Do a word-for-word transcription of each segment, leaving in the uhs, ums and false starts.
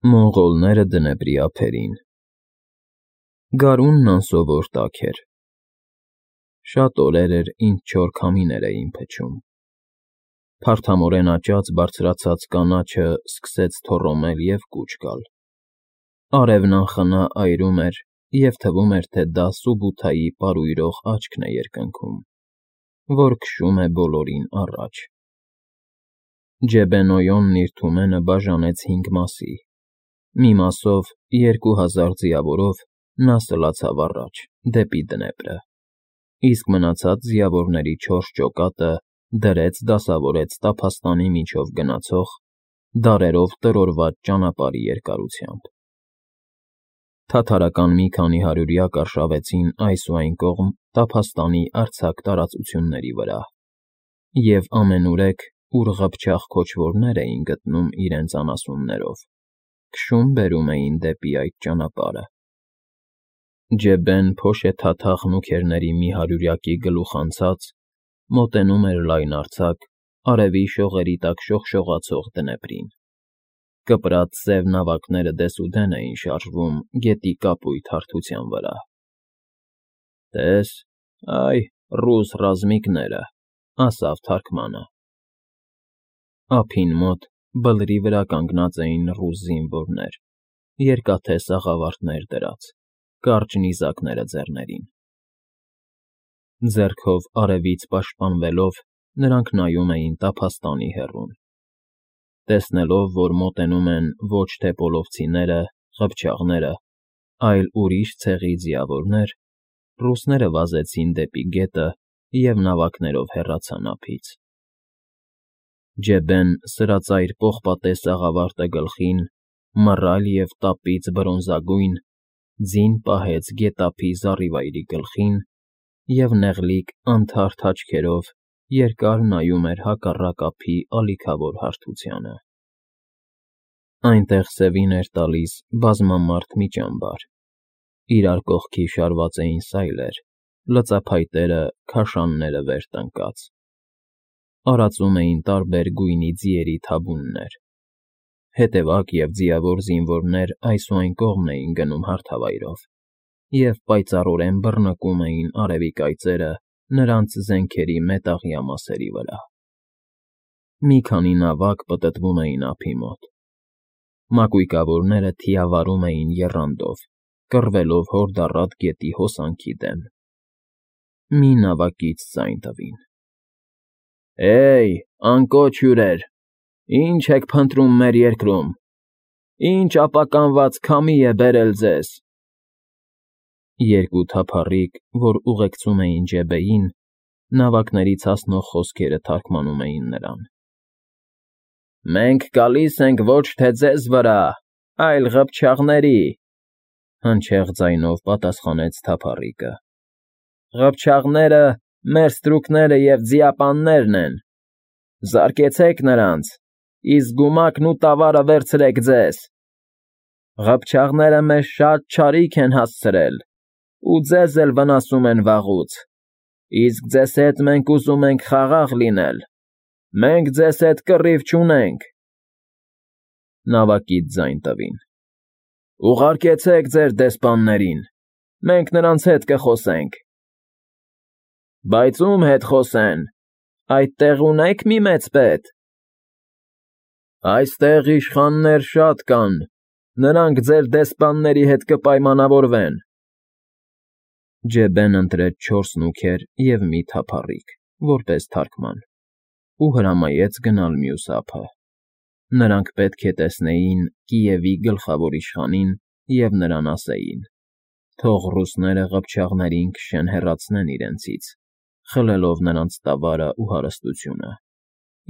Մոնղոլները դնեպրի ափերին։ Գարունն անսովոր տաք էր։ Շատ օրեր էր, ինչ չոր քամիներ էին փչում։ Փարթամորեն աճած բարձրացած կանաչը սկսեց թոռոմել և կուչ գալ։ Արևն անխնա այրում էր, և թվում էր, թե դա Սուբութայի պարուրող աչքն է երկնքում, որ քշում է բոլորին առաջ։ Ջեբեն-Օյոնն իր թումենը բաժանեց հինգ մասի։ Մի մասով, երկու հազար ձիավորով նա սլացավ առաջ, դեպի Դնեպրը, իսկ մնացած ձիավորների չորս ջոկատը դրեց դասավորեց տափաստանի միջով գնացող, դարերով տրորված ճանապարհի երկարությամբ։ Թաթարական մի քանի հարյուրյակ արշավեցին այս ու այն կողմ տափաստանի արձակ տարածությունների վրա, և ամենուրեք, ուր ղփչաղ քոչվորներ էին գտնում իրենց անասուններով, քշում֊բերում էին դեպի այդ ճանապարհը։ Ջեբեն փոշեթաթախ նուքերների մի հարյուրյակի գլուխ անցած, մոտենում էր լայնարձակ, արևի շողերի տակ շողշողացող Դնեպրին։ Կպրած սև նավակները դեսուդեն էին շարժվում գետի կապույտ հարթության վրա։ «Տես, այ ռուս ռազմիկները», ասավ թարգմանը։ Ափին մոտ, բլրի վրա կանգնած էին ռուս զինվորներ, երկաթե սաղավարտներ դրած, կարճ նիզակները ձեռներին։ Ձեռքով արևից պաշտպանվելով՝ նրանք նայում էին տափաստանի հեռուն։ Տեսնելով, որ մոտենում են ոչ թե պոլովցիները, ղփչաղները, այլ ուրիշ ցեղի ձիավորներ, ռուսները վազեցին դեպի գետը և նավակներով հեռացան ափից։ Ջեբեն, սրածայր պողպատե սաղավարտը գլխին, մռայլ և տապից բրոնզագույն, ձին պահեց գետափի զառիվայրի գլխին և նեղլիկ անթարթ աչքերով երկար նայում էր հակառակ ափի ալիքավոր հարթությանը։ Այնտեղ սևին էր տալիս բազմամարդ մի ճամբար, իրար կողքի շարված էին սայլեր, լծափայտերը, քաշանները վեր տնկած։ Արածում էին տարբեր գույնի ձիերի թաբուններ։ Հետևակ և ձիավոր զինվորներ այս ու այն կողմն էին գնում հարթավայրով և պայծառորեն բռնկում էին արևի կայծերը նրանց զենքերի մետաղյա մասերի վրա։ Մի քանի նավակ պտտվում էին ափի մոտ։ Մակույկավորները թիավարում էին եռանդով, կռվելով հորդառատ գետի հոսանքի դեմ։ Մի նավակից ձայն տվին. «Հե՜յ, անկոչ հյուրեր, ի՞նչ եք փնտրում մեր երկրում, ի՞նչ ապականված քամի է բերել ձեզ»։ Երկու թափառիկ, որ ուղեկցում էին Ջեբեին, նավակներից հասնող խոսքերը թարգմանում էին նրան։ «Մենք գալիս ենք ոչ թե ձեզ վրա, այլ ղփչաղների», հնչեղ ձայնով պատասխանեց թափառիկը։ «Ղփչաղները մեր ստրուկները և ձիապաններն են։ Զարկեցեք նրանց, իսկ գումակն ու տավարը վերցրեք ձեզ։ Ղփչաղները մեզ շատ չարիք են հասցրել ու ձեզ էլ վնասում են վաղուց, իսկ ձեզ հետ մենք ուզում ենք խաղաղ լինել, մենք ձեզ հետ կռիվ չունենք»։ Նավակից ձայն տվին. «Ուղարկեցեք ձեր դեսպաններին, մենք նրանց հետ կխոսենք»։ «Բայց ո՞ւմ հետ խոսեն, այդտեղ ունե՞ք մի մեծ պետ»։ «Այստեղ իշխաններ շատ կան, նրանք ձեր դեսպանների հետ կպայմանավորվեն»։ Ջեբեն ընտրեց չորս նուքեր և մի թափառիկ, որպես թարգման, ու հրամայեց գնալ մյուս ափը։ Նրանք պետք է տեսնեին Կիևի գլխավոր իշխանին և նրան ասեին. թող ռուսները ղփչաղներին քշեն հեռացնեն իրենցից, խլելով նրանց տավարն ու հարստությունը,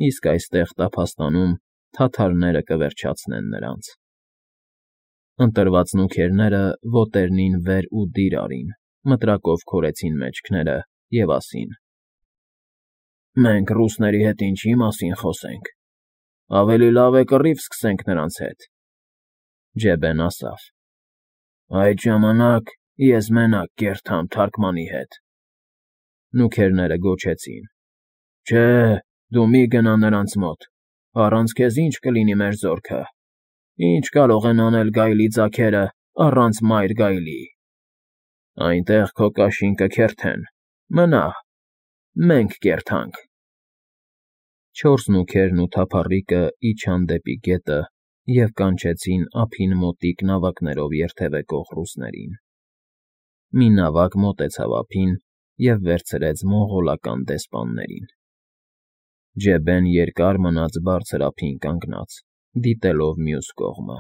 իսկ այստեղ տափաստանում թաթարները կվերջացնեն նրանց։ Ընտրված նուքերները ոտերնին վեր ու դիր արին, մտրակով քորեցին մեջքները և ասին. «Մենք ռուսների հետ ինչի՞ մասին խոսենք, ավելի լավ է կռիվ սկսենք նրանց հետ»։ Ջեբեն ասավ. «Այդ ժամանակ ես մենակ կերթամ թարգմանի հետ»։ Նուքերները գոչեցին. «Չէ, դու մի գնա նրանց մոտ, առանց քեզ ի՞նչ կլինի մեր զորքը»։ Ինչ կարող են անել գայլի ձագերը առանց մայր գայլի։ Այնտեղ քո կաշին կքերթեն, մնա, մենք կերթանք։ Չորս նուքերն ու թափառիկը իջան դեպի գետը և կանչեցին ափին մոտիկ նավակներով երթևեկող ռուսներին։ Մի նավակ մոտեցավ ափին և վերցրեց մոնղոլական դեսպաններին։ Ջեբեն երկար մնաց բարձր ափին կանգնած, դիտելով մյուս կողմը։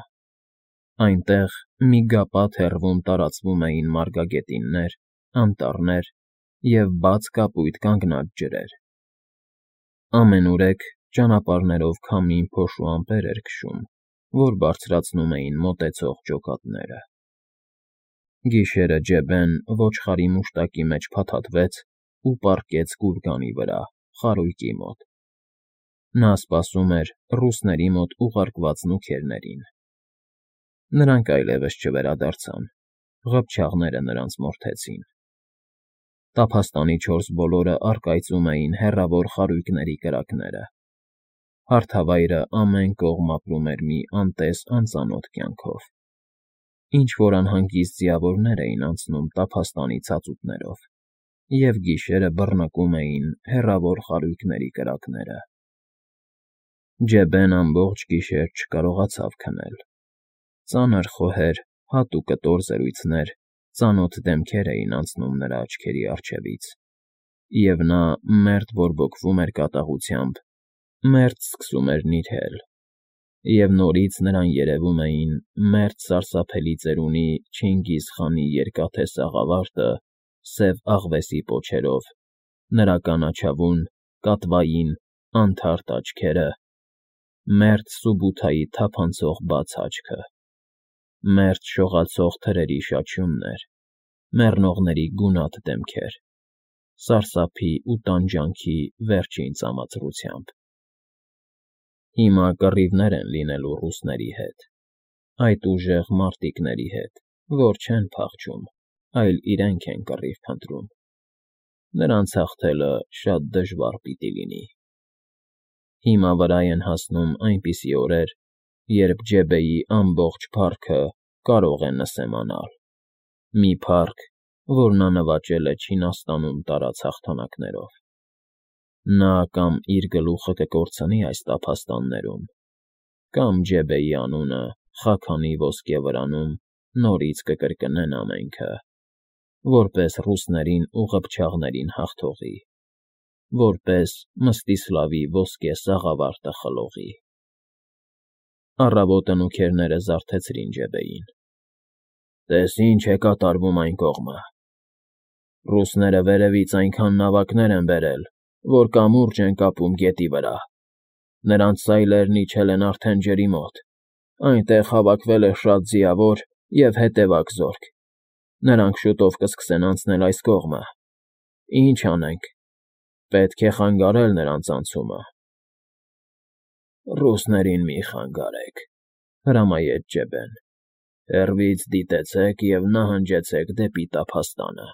Այնտեղ միգապատ հեռվում տարածվում էին մարգագետիններ, անտառներ և բաց կապույտ կանգնած ջրեր։ Ամենուրեք ճանապարհներով քամին փոշու ամպեր էր քշում, որ բարձրացնում էին մոտեցող ջոկատները։ Գիշերը Ջեբեն ոչխարի մուշտակի մեջ փաթաթվեց ու պառկեց գուրգանի վրա, խարույկի մոտ։ Նա սպասում էր ռուսների մոտ ուղարկված նուքերներին։ Նրանք այլևս չվերադարձան, ղփչաղները նրանց մորթեցին։ Տափաստանի չորս բոլորը առկայծում էին հեռավոր խարույկների կրակները։ Հարթավայրը ամեն կողմ ապրում էր մի անտես անծանոթ կյանքով։ Ինչ֊որ անհանգիստ ձիավորներ էին անցնում տափաստանի ցածուտներով, և գիշերը բռնկում էին հեռավոր խարույկների կրակները։ Ջեբեն ամբողջ գիշեր չկարողացավ քնել։ Ծանր խոհեր, հատ ու կտոր զրույցներ, ծանոթ դեմքեր էին անցնում նրա աչքերի առջևից, և նա մերթ բորբոքվում էր կատաղությամբ, մերթ սկսում էր նիրհել, և նորից նրան երևում էին մերթ սարսափելի ծերունի Չինգիզ֊խանի երկաթե սաղավարտը սև աղվեսի պոչերով, նրա կանաչավուն, կատվային, անթարթ աչքերը, մերթ Սուբութայի թափանցող բաց աչքը, մերթ շողացող թրերի շաչյուններ, մեռնողների գունատ դեմքեր, սարսափի ու տանջանքի վերջին ծամացրությամբ։ Հիմա կռիվներ են լինելու ռուսների հետ, այդ ուժեղ մարտիկների հետ, որ չեն փախչում, այլ իրենք են կռիվ փնտրում։ Նրանց հաղթելը շատ դժվար պիտի լինի։ Հիմա վրա են հասնում այնպիսի օրեր, երբ Ջեբեի ամբողջ փառքը կարող է նսեմանալ, մի փառք, որ նա նվաճել է Չինաստանում տարած հաղթանակներով։ Նա կամ իր գլուխը կկորցնի այս տափաստաններում, կամ Ջեբեի անունը Խաքանի ոսկե վրանում նորից կկրկնեն ամենքը, որպես ռուսներին ու ղփչաղներին հաղթողի, որպես Մստիսլավի ոսկե սաղավարտը խլողի։ Առավոտը նուքերները զարթեցրին Ջեբեին։ «Տես ինչ է կատարվում այն կողմը։ Ռուսները վերևից այնքան նավակներ են բերել, որ կամուրջ են կապում գետի վրա։ Նրանց սայլերն իջել են արդեն ջրի մոտ, այնտեղ հավաքվել է շատ ձիավոր և հետևակ զորք։ Նրանք շուտով կսկսեն անցնել այս կողմը։ Ինչ անենք, պետք է խանգարել նրանց անցումը»։ «Ռուսներին մի խանգարեք,֊ հրամայեց Ջեբեն։ Հեռվից դիտեցեք և նահանջեցեք դեպի տափաստանը»։